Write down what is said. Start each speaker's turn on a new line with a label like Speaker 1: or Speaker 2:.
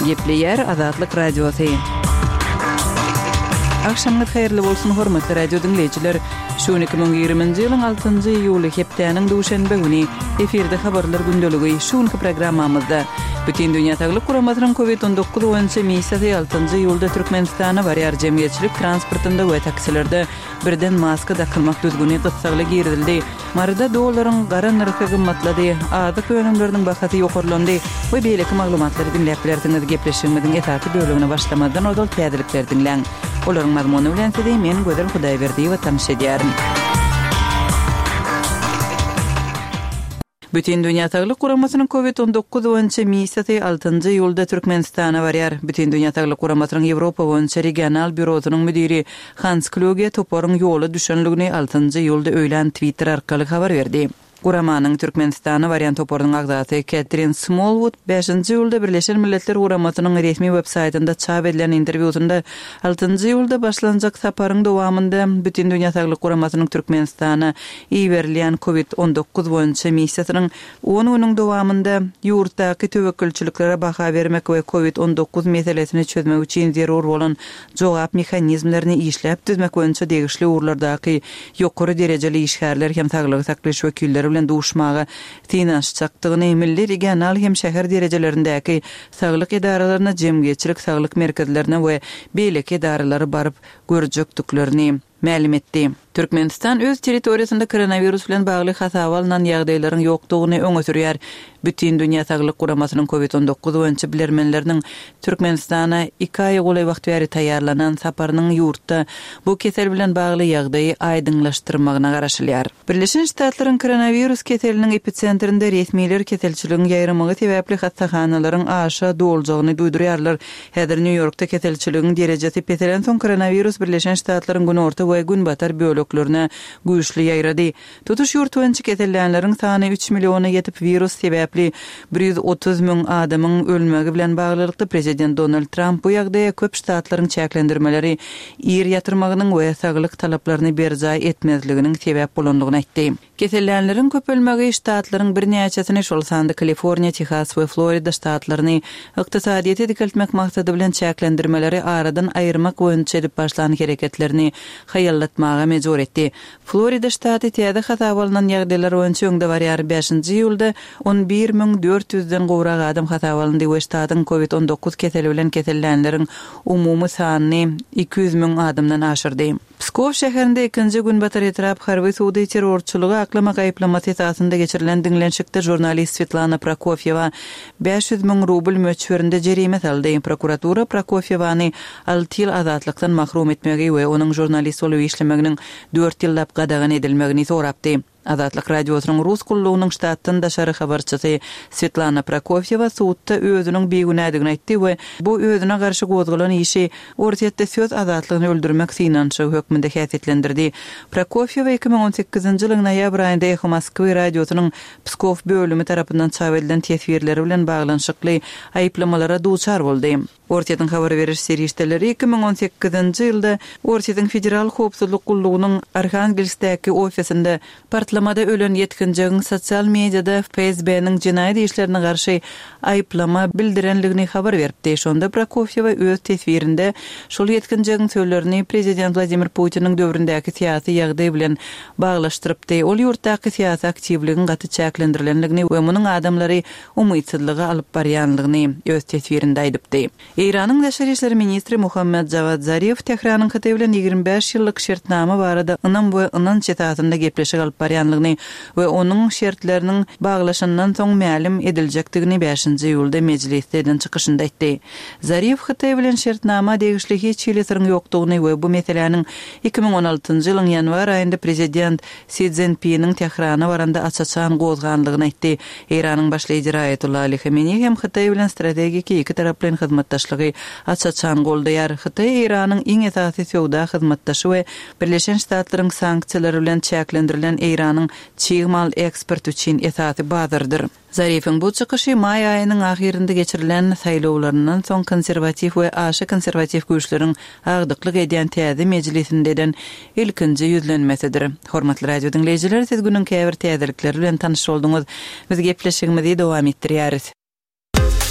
Speaker 1: Gepleyer Azatlyk Radiosu. Akşamlar hayırlı bolsun hormatly radio dinleyijiler. Şu 2020-nji ýylyň 6-njy ýuly hepdeniň duşanbe güni efirde habarlar gündöligi şu programmamyzda bütün dünýä taýlyk guramatynyň COVID-19 boýunça miýsady 6-njy ýylda Türkmenistana barýar jemgyýetçilik transportynda we taksilerde birden maska takylmak düzgüni gysgaly girdildi. Marada dollaryň gara narhy gymmatlady, adyk önümleriniň bahasy ýokarlandy we beýleki maglumatlary dinläp bilerdiňiz. Gepleşigimiziň etaty bölümine başlamadan odal täzelikler dinleň. Olaryň mazmuny bilen sizde men Gözel Hudaýberdi we tanış edýärim. Bütün dünýä taýlyk guramatynyň COVID-19 boýunça miýsady 6-njy ýylda Türkmenistana barýar. Bütün dünýä taýlyk guramatynyň Ýewropa boýunça regional bürosynyň müdiri Hans Kluge toparyň ýoly düşenligini 6-njy ýylda öýlen Twitter arkaly habar berdi. Guramanyň Türkmenistana barýan toparynyň agdaty Catherine Smallwood 5-nji ýylda Birleşen Milletler Guramatynyň resmi websaytynda çap edilen interwýusynda 6-njy ýylda başlanjak saparyň dowamında bütün dünýä taýlyk guramatynyň Türkmenistana iýerilýän COVID-19 boýunça miýsatynyň 10 güniň dowamında ýurtdaky töwekkülçiliklere baha bermek we COVID-19 meselesini çözmek üçin zerur bolan jogap mexanizmlaryny işläp düzmek boýunça degişli urlardaky ýokary derejeli işgärler hem saglyk saklaş wekilleri bilen duşmaga tinaşçakdygyny milli regional hem şäher derejelerindäki saglyk edaralaryna jemgyýetçilik saglyk merkezlerine we beýleki edaralary baryp görjekdiklerini ma'lum etdi. Türkmenistan öz territoriýasynda koronavirus bilen bagly hasawalnan ýagdaýlaryň ýokdugyny öňe sürýär. Bütün dünýä taýlyk guramatynyň COVID-19 boýunça bilermenleriniň Türkmenistana 2 aý goly wagt bäri taýýarlanan saparynyň ýurtda bu kesel bilen bagly ýagdaýy aýdyňlaşdyrmagyna garaşylýar. Birleşen Ştatlaryň koronavirus keseliniň episentrinde resmiler keselçiligiň ýaýramagy sebäpli hastahanalaryň aşa doljagyny duýdurýarlar. Häzir New Yorkda keselçiligiň derejesi peselen soň koronavirus Birleşen Ştatlaryň günorta we gün batar bölüklerine güýçli ýaýrady. Tutuş ýurt boýunça kesellänleriň sany 3 miliona ýetip virus sebäpli 130 000 adamyň ölmegi bilen baglylykda prezident Donald Trump bu ýagdaýa köp ştatlaryň çäklendirmeleri ýer ýatyrmagynyň we saglyk talaplaryny berjay etmezliginiň sebäp bolandygyny aýtdy. Kesellänleriň köp ölmegi ştatlaryň bir näçesini şol sanda Kaliforniýa, Texas we Florida ştatlaryny ykdysadyýety dikeltmek maksady bilen çäklendirmeleri aradan aýyrmak boýunça edip başlanan hereketlerini haýallatmaga mejbur etdi. Florida ştaty täze hasawalanan ýagdaýlar boýunça öňde barýar 5-nji ýylda 11.400-den gowrak adam hasawalandy we ştatyň COVID-19 keseli bilen kesellänleriň umumy sanyny 200 000 adamdan aşyrdy. Pskov şäherinde 2-nji gün batar etrap harby suwdy terrorçylygy aklamak aýplamasy esasında geçirilen dinlenşikde jurnalist Svetlana Prokofyeva 500 000 rubl möçberinde jerime saldy. Prokuratura Prokofyevany 6 ýyl azatlykdan mahrum etmegi we onuň jurnalist bolup işlemeginiň 4 ýyllap gadagan edilmegini sorapdy. Azatlyk radiosynyň rus kullugynyň ştatdan daşary habarçysy Svetlana Prokofyeva suwtda özüniň beýgünädigini aýtdy we bu özüne garşy gozgulan işi ortatda söz azatlygyny öldürmek synançy hökmünde häsiýetlendirdi. Prokofyeva 2018-nji ýylyň noýabr aýynda Echo Moskwy radiosynyň Pskov bölümi tarapyndan çap edilen tesbirleri bilen baglanşykly aýplamalara duçar boldy. Ortatyň habar beriş serişdeleri 2018-nji ýylda Ortatyň federal howpsuzlyk gullugynyň Arhangelskdäki ofisinde partlamada ölen ýetkinjiň sosial mediada FSB-niň jinaýat işlerine garşy aýplama bildirenligini habar berdi. Şonda Prokofyeva öz tesbirinde şol ýetkinjiň sözlerini prezident Vladimir Putiniň döwründäki syýasy ýagdaý bilen baglaşdyrypdy. Ol ýurtdaky syýasy aktivligiň gaty çäklendirilgenligini we munyň adamlary umytsızlyga alyp barýanlygyny öz tesbirinde aýdypdy. İranyň Daşary işleri ministri Muhammed Javad Zarif Tehranyň Xitay bilen 25 ýyllyk şertnama barada ynam we ynан çetatynda gepleşik alyp barýanlygyny we onuň şertleriniň baglaşandan soň ma'lum ediljekdigini 5-nji ýylda mejlisden çykyşynda aýtdy. Zarif Xitay bilen şertnama degişli hiç ýylysyň ýokdugyny we bu meseleniň 2016-njy ýylyň ýanwar aýynda prezident Xi Jinping'in Tehrana baranda açaçan gozganlygyny aýtdy. İranyň başlyjy Ayatollah Ali Khamenei hem Xitay bilen strategik iki taraply hyzmatdaşlygy açaçan goldaýar. Xitay Iranyň iň esasy söwda hyzmatdaşy we Birleşen Ştatlaryň sanksiýalary bilen çäklendirilen Iranyň çiğmal eksport üçin esasy bazardyr. Zarifin bu çykyşy may aýynyň ahirinde geçirilen saýlawlaryndan soň konservativ we aşy konservativ güýçleriň agdyklyk edýän täze mejlisindeden ilkinji ýüzlenmesidir. Hormatly radio dinleýijiler, siz günüň käbir täzelikleri bilen tanyş bolduňyz. Biz gepleşigimizi dowam etdirýäris.